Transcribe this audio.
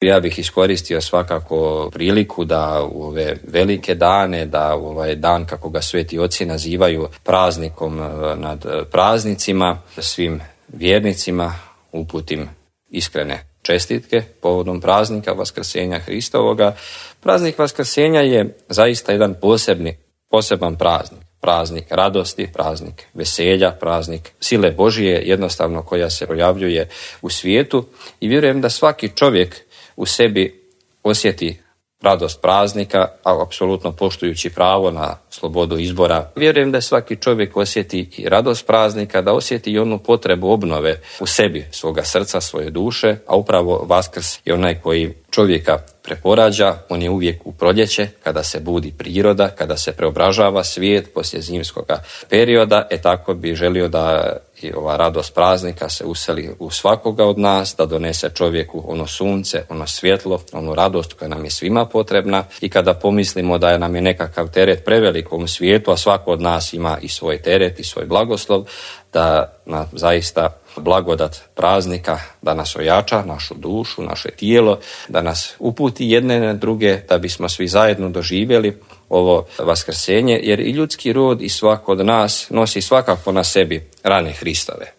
Ja bih iskoristio svakako priliku da u ove velike dane, da u ovaj dan kako ga sveti oci nazivaju praznikom nad praznicima, svim vjernicima uputim iskrene čestitke povodom praznika Vaskrsenja Hristovoga. Praznik Vaskrsenja je zaista jedan poseban praznik. Praznik radosti, praznik veselja, praznik sile Božije jednostavno koja se projavljuje u svijetu i vjerujem da svaki čovjek u sebi osjeti radost praznika, a apsolutno poštujući pravo na slobodu izbora. Vjerujem da svaki čovjek osjeti i radost praznika, da osjeti i onu potrebu obnove u sebi, svoga srca, svoje duše, a upravo Vaskrs je onaj koji čovjeka preporađa, on je uvijek u proljeće, kada se budi priroda, kada se preobražava svijet poslije zimskog perioda, tako bi želio da i ova radost praznika se useli u svakoga od nas, da donese čovjeku ono sunce, ono svjetlo, onu radost koja nam je svima potrebna i kada pomislimo da nam je nekakav teret prevelik u ovom svijetu, a svako od nas ima i svoj teret i svoj blagoslov, da nam zaista blagodat praznika da nas ojača, našu dušu, naše tijelo, da nas uputi jedne na druge, da bismo svi zajedno doživjeli ovo vaskrsenje, jer i ljudski rod i svako od nas nosi svakako na sebi rane Hristove.